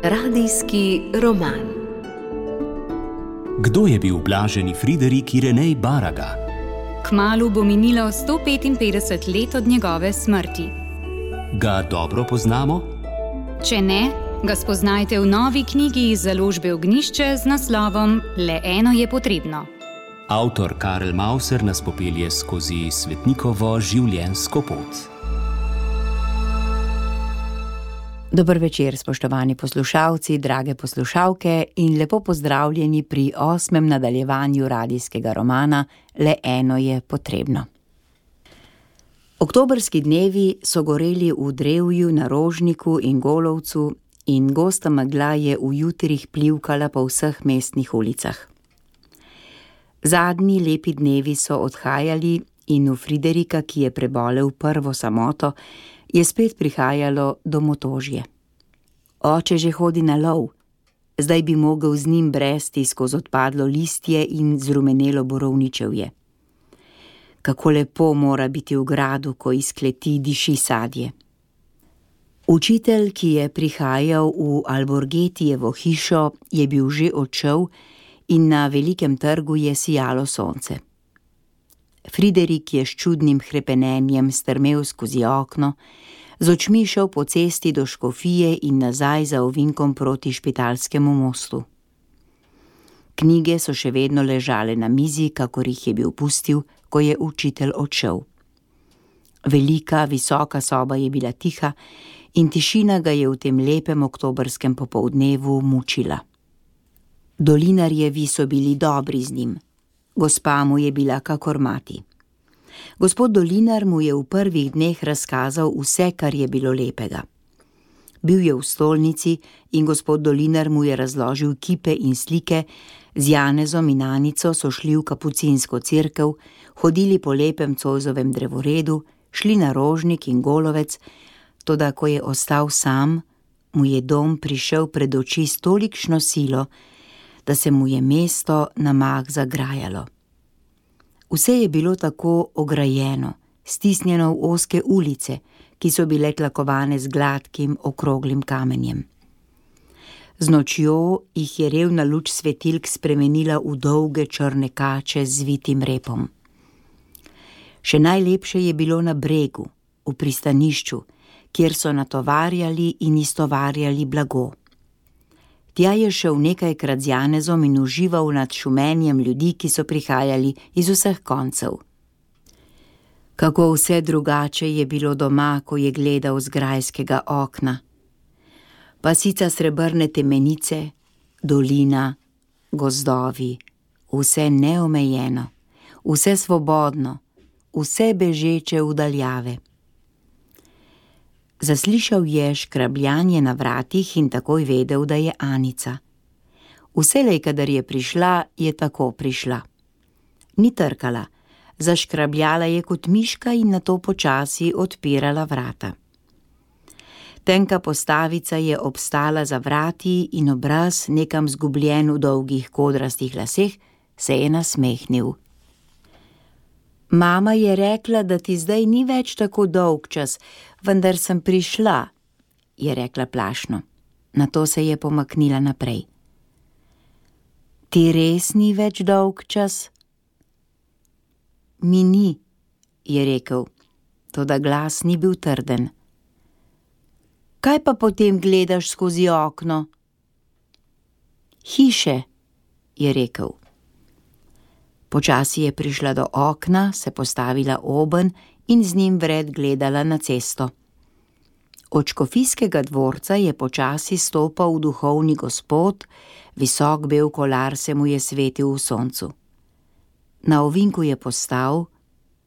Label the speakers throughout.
Speaker 1: Radijski roman.
Speaker 2: Kdo je bil blaženi Friderik Irenej Baraga?
Speaker 3: Kmalu bo minilo 155 let od njegove smrti.
Speaker 2: Ga dobro poznamo?
Speaker 3: Če ne, ga spoznajte v novi knjigi iz založbe Ognjišče z naslovom Le eno je potrebno.
Speaker 2: Avtor Karel Mauser nas popelje skozi svetnikovo življenjsko pot.
Speaker 4: Dober večer, spoštovani poslušalci, drage poslušalke in lepo pozdravljeni pri 8. nadaljevanju radijskega romana Le eno je potrebno. Oktobrski dnevi so goreli v drevju na Rožniku in Golovcu in gosta megla je v jutrih plivkala po vseh mestnih ulicah. Zadnji lepi dnevi so odhajali in v Friderika, ki je prebolel prvo samoto, je spet prihajalo domotožje. Oče že hodi na lov, zdaj bi mogel z njim bresti skozi odpadlo listje in zrumenelo borovničevje. Kako lepo mora biti v gradu, ko iz kleti diši sadje. Učitelj, ki je prihajal v Alborgetijevo hišo, je bil že odšel in na velikem trgu je sijalo sonce. Friderik je s čudnim hrepenenjem strmel skozi okno, z očmi šel po cesti do škofije in nazaj za ovinkom proti Špitalskemu mostu. Knjige so še vedno ležale na mizi, kakor jih je bil pustil, ko je učitelj odšel. Velika, visoka soba je bila tiha in tišina ga je v tem lepem oktobrskem popoldnevu mučila. Dolinarjevi so bili dobri z njim. Gospa mu je bila kakor mati. Gospod Dolinar mu je v prvih dneh razkazal vse, kar je bilo lepega. Bil je v stolnici in gospod Dolinar mu je razložil kipe in slike, z Janezom in Anico so šli v kapucinsko cerkev, hodili po lepem Zoisovem drevoredu, šli na Rožnik in Golovec, toda ko je ostal sam, mu je dom prišel pred oči s tolikšno silo, da se mu je mesto na mah zagrajalo. Vse je bilo tako ograjeno, stisnjeno v ozke ulice, ki so bile tlakovane z gladkim, okroglim kamenjem. Z nočjo jih je revna luč svetilk spremenila v dolge črne kače z zvitim repom. Še najlepše je bilo na bregu, v pristanišču, kjer so natovarjali in istovarjali blago. Tja je šel nekajkrat z Janezom in užival nad šumenjem ljudi, ki so prihajali iz vseh koncev. Kako vse drugače je bilo doma, ko je gledal z grajskega okna. Pasica srebrne temenice, dolina, gozdovi, vse neomejeno, vse svobodno, vse bežeče v daljave. Zaslišal je škrabljanje na vratih in takoj vedel, da je Anica. Vselej, kadar je prišla, je tako prišla. Ni trkala, zaškrabljala je kot miška in nato počasi odpirala vrata. Tenka postavica je obstala za vrati in obraz, nekam zgubljen v dolgih kodrastih laseh, se je nasmehnil. Mama je rekla, da ti zdaj ni več tako dolg čas, vendar sem prišla, je rekla plašno. Nato se je pomaknila naprej. Ti res ni več dolg čas? Mi ni, je rekel, toda glas ni bil trden. Kaj pa potem gledaš skozi okno? Hiše, je rekel. Počasi je prišla do okna, se postavila obenj in z njim vred gledala na cesto. Od škofijskega dvorca je počasi stopal duhovni gospod, visok bel kolar se mu je svetil v soncu. Na ovinku je postal,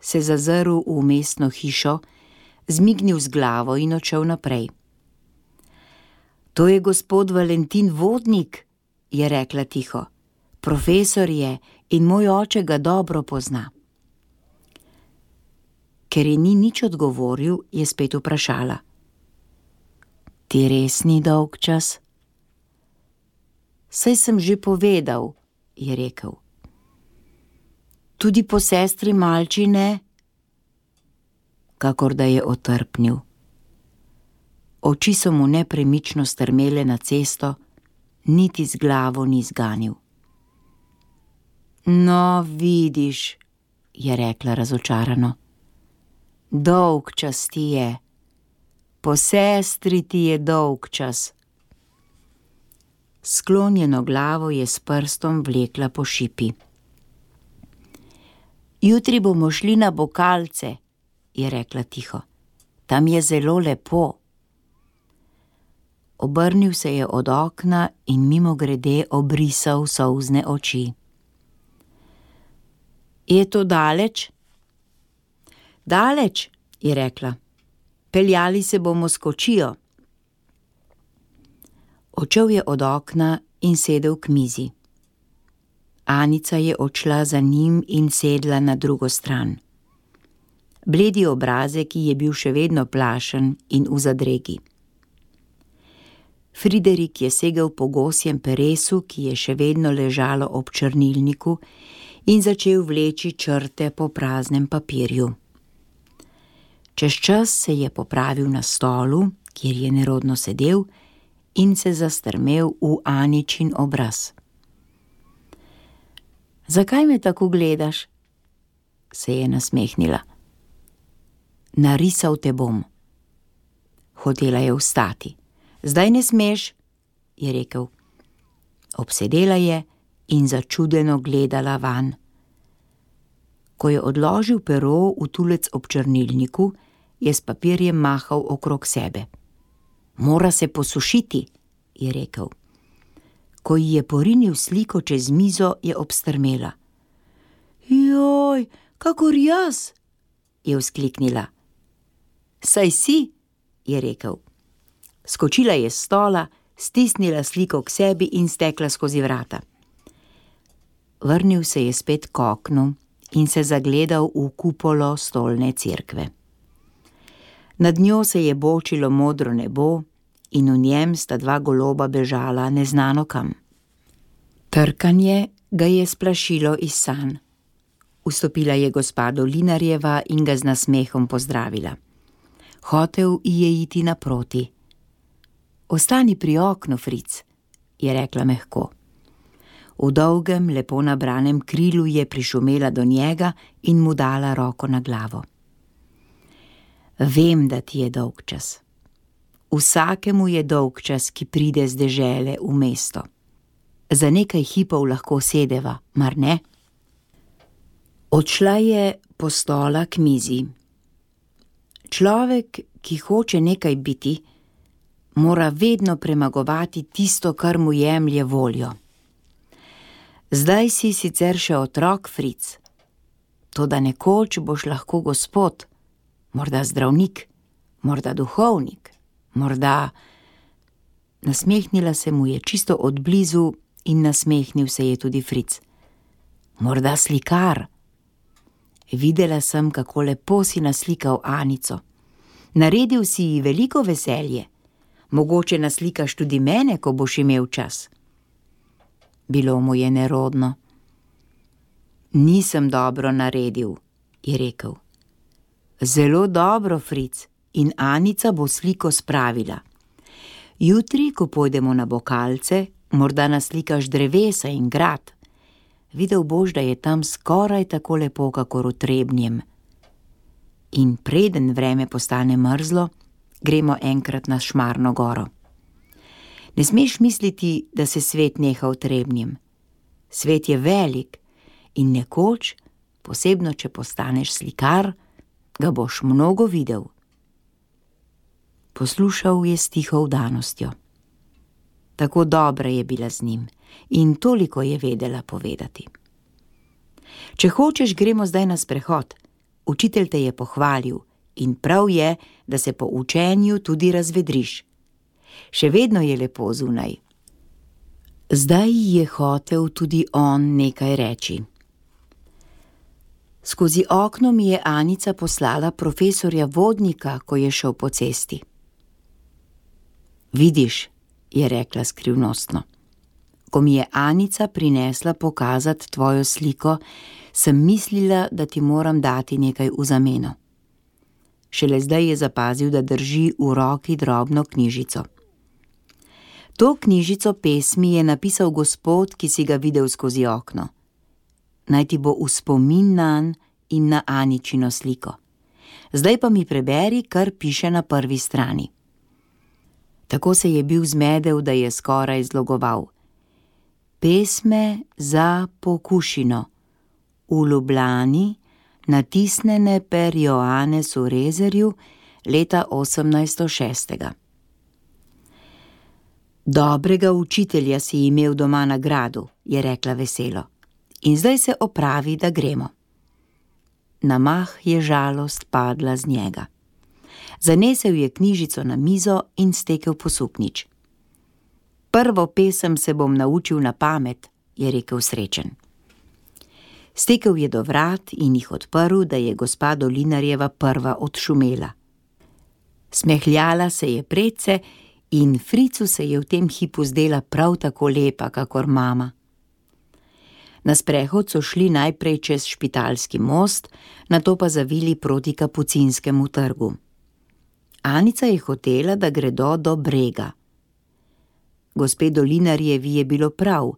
Speaker 4: se zazrl v mestno hišo, zmignil z glavo in odšel naprej. To je gospod Valentin Vodnik, je rekla tiho. Profesor je in moj oče ga dobro pozna. Ker ji ni nič odgovoril, je spet vprašala. Ti res ni dolg čas? Saj sem že povedal, je rekel. Tudi po sestri Malči ne? Kakor da je otrpnil. Oči so mu nepremično strmele na cesto, niti z glavo ni zganil. No, vidiš, je rekla razočarano. Dolg čas ti je. Po sestri ti je dolg čas. Sklonjeno glavo je s prstom vlekla po šipi. Jutri bomo šli na Bokalce, je rekla tiho. Tam je zelo lepo. Obrnil se je od okna in mimogrede obrisal solzne oči. Je to daleč? Daleč, je rekla. Peljali se bomo s kočijo. Odšel je od okna in sedel k mizi. Anica je odšla za njim in sedla na drugo stran. Bledi obrazek ji je bil še vedno plašen in v zadregi. Friderik je segel po gosjem peresu, ki je še vedno ležalo ob črnilniku, in začel vleči črte po praznem papirju. Čez čas se je popravil na stolu, kjer je nerodno sedel, in se zastrmel v Aničin obraz. Zakaj me tako gledaš? Se je nasmehnila. Narisal te bom. Hotela je vstati. Zdaj ne smeš, je rekel. Obsedela je in začudeno gledala vanj. Ko je odložil pero v tulec ob črnilniku, je s papirjem mahal okrog sebe. Mora se posušiti, je rekel. Ko ji je porinil sliko čez mizo, je obstrmela. Joj, kakor jaz, je vzkliknila. Saj si, je rekel. Skočila je s stola, stisnila sliko k sebi in stekla skozi vrata. Vrnil se je spet k oknu in se zagledal v kupolo stolne cerkve. Nad njo se je bočilo modro nebo in v njem sta dva goloba bežala neznano kam. Trkanje ga je splašilo iz sanj. Vstopila je gospa Dolinarjeva in ga z nasmehom pozdravila. Hotel ji je iti naproti. Ostani pri oknu, Fric, je rekla mehko. V dolgem, lepo nabranem krilu je prišumela do njega in mu dala roko na glavo. Vem, da ti je dolgčas. Vsakemu je dolgčas, ki pride z dežele v mesto. Za nekaj hipov lahko sedeva, mar ne? Odšla je po stola k mizi. Človek, ki hoče nekaj biti, mora vedno premagovati tisto, kar mu jemlje voljo. Zdaj si sicer še otrok, Fric, toda nekoč boš lahko gospod, morda zdravnik, morda duhovnik, morda... Nasmehnila se mu je čisto od blizu in nasmehnil se je tudi Fric. Morda slikar. Videla sem, kako lepo si naslikal Anico. Naredil si ji veliko veselje. Mogoče naslikaš tudi mene, ko boš imel čas. Bilo mu je nerodno. Nisem dobro naredil, je rekel. Zelo dobro, Fric, in Anica bo sliko spravila. Jutri, ko pojdemo na Bokalce, morda naslikaš drevesa in grad. Videl boš, da je tam skoraj tako lepo, kakor v Trebnjem. In preden vreme postane mrzlo, gremo enkrat na Šmarno goro. Ne smeš misliti, da se svet neha v Trebnjem. Svet je velik in nekoč, posebno če postaneš slikar, ga boš mnogo videl. Poslušal je s tiho vdanostjo. Tako dobra je bila z njim in toliko je vedela povedati. Če hočeš, gremo zdaj na sprehod. Učitelj te je pohvalil in prav je, da se po učenju tudi razvedriš. Še vedno je lepo zunaj. Zdaj je hotel tudi on nekaj reči. Skozi okno mi je Anica poslala profesorja Vodnika, ko je šel po cesti. Vidiš, je rekla skrivnostno. Ko mi je Anica prinesla pokazati tvojo sliko, sem mislila, da ti moram dati nekaj v zameno. Šele zdaj je zapazil, da drži v roki drobno knjižico. To knjižico pesmi je napisal gospod, ki si ga videl skozi okno. Naj ti bo v spomin nanj in na Aničino sliko. Zdaj pa mi preberi, kar piše na prvi strani. Tako se je bil zmedel, da je skoraj zlogoval. Pesme za Pokušino. V Ljubljani, natisnjene per Johannesu Rezerju leta 1806. Dobrega učitelja si imel doma na gradu, je rekla veselo. In zdaj se opravi, da gremo. Na mah je žalost padla z njega. Zanesel je knjižico na mizo in stekel po suknjič. Prvo pesem se bom naučil na pamet, je rekel srečen. Stekel je do vrat in jih odprl, da je gospa Dolinarjeva prva odšumela. Smehljala se je predse in Fricu se je v tem hipu zdela prav tako lepa, kakor mama. Na sprehod so šli najprej čez Špitalski most, nato pa zavili proti Kapucinskemu trgu. Anica je hotela, da gredo do Brega. Gospe Dolinarjevi je bilo prav,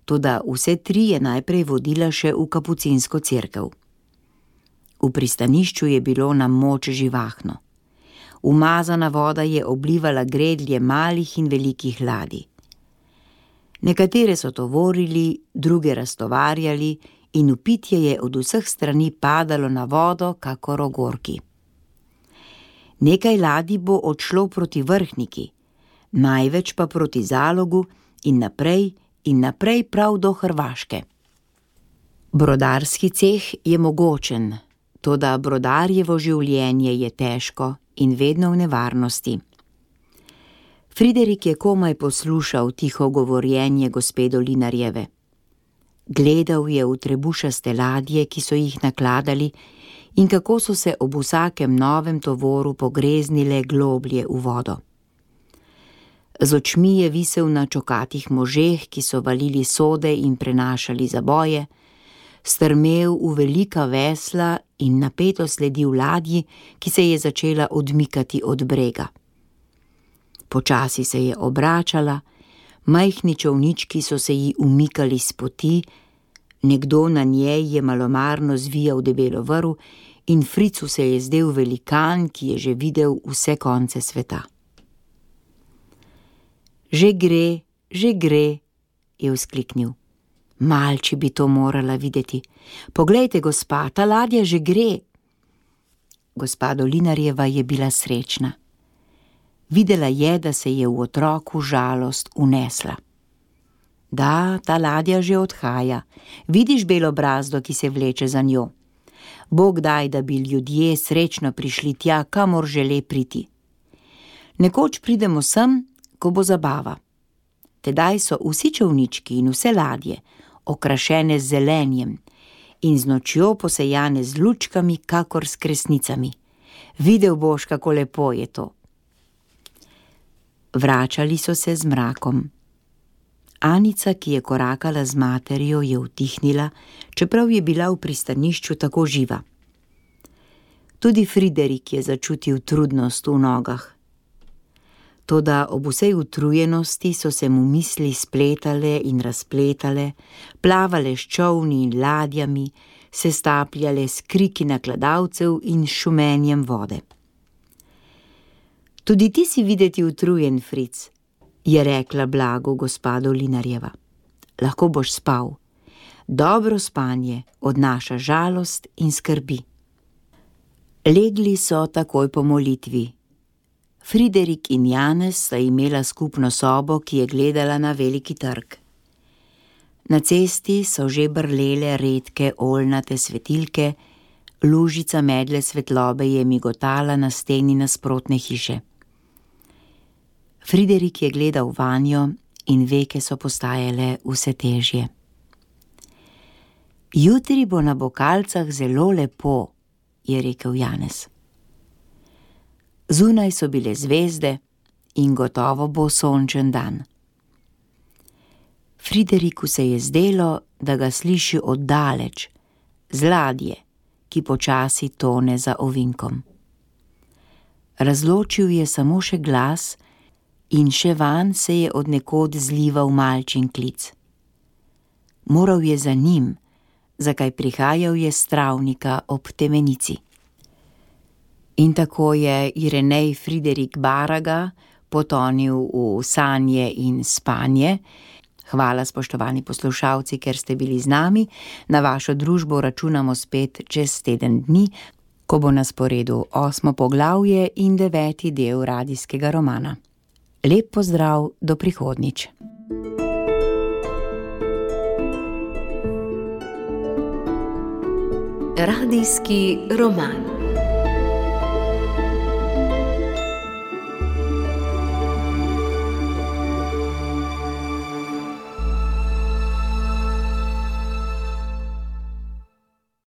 Speaker 4: toda vse tri je najprej vodila še v Kapucinsko cerkev. V pristanišču je bilo na moč živahno. Umazana voda je oblivala gredlje malih in velikih ladij. Nekatere so tovorili, druge raztovarjali in v pitje je od vseh strani padalo na vodo, kakor ogorki. Nekaj ladij bo odšlo proti Vrhniki, največ pa proti Zalogu in naprej prav do Hrvaške. Brodarski ceh je mogočen, toda brodarjevo življenje je težko in vedno v nevarnosti. Friderik je komaj poslušal tiho govorjenje gospe Dolinarjeve. Gledal je v trebušaste ladje, ki so jih nakladali, in kako so se ob vsakem novem tovoru pogreznile globlje v vodo. Z očmi je visel na čokatih možeh, ki so valili sode in prenašali zaboje, strmel v velika vesla in napeto sledil ladji, ki se je začela odmikati od brega. Počasi se je obračala, majhni čolnički so se ji umikali s poti, nekdo na njej je malomarno zvijal debelo vrv in Fricu se je zdel velikan, ki je že videl vse konce sveta. Že gre, je vzkliknil. Malči bi to morala videti. Poglejte, gospa, ta ladja že gre. Gospa Dolinarjeva je bila srečna. Videla je, da se je v otroku žalost unesla. Da, ta ladja že odhaja. Vidiš belo brazdo, ki se vleče za njo. Bog daj, da bi ljudje srečno prišli tja, kamor žele priti. Nekoč pridemo sem, ko bo zabava. Tedaj so vsi čolnički in vse ladje okrašene z zelenjem in z nočjo posejane z lučkami, kakor s kresnicami. Videl boš, kako lepo je to. Vračali so se z mrakom. Anica, ki je korakala z materjo, je utihnila, čeprav je bila v pristanišču tako živa. Tudi Friderik je začutil trudnost v nogah. Toda ob vsej utrujenosti so se mu misli spletale in razpletale, plavale s čolni in ladjami, se stapljale s kriki nakladalcev in šumenjem vode. Tudi ti si videti utrujen, Fric, je rekla blago gospa Dolinarjeva. Lahko boš spal. Dobro spanje odnaša žalost in skrbi. Legli so takoj po molitvi. Friderik in Janez sta imela skupno sobo, ki je gledala na veliki trg. Na cesti so že brlele redke oljnate svetilke, lužica medle svetlobe je migotala na steni nasprotne hiše. Friderik je gledal vanjo in veke so postajale vse težje. Jutri bo na Bokalcah zelo lepo, je rekel Janez. Zunaj so bile zvezde in gotovo bo sončen dan. Frideriku se je zdelo, da ga sliši oddaleč, z ladje, ki počasi tone za ovinkom. Razločil je samo še glas in še vanj se je od nekod zlival malčin klic. Moral je za njim, zakaj prihajal je s travnika ob Temenici. In tako je Irenej Friderik Baraga potonil v sanje in spanje. Hvala, spoštovani poslušalci, ker ste bili z nami. Na vašo družbo računamo spet čez teden dni, ko bo na sporedu 8. poglavje in 9. del radijskega romana. Lep pozdrav, do prihodnjič.
Speaker 1: Radijski roman.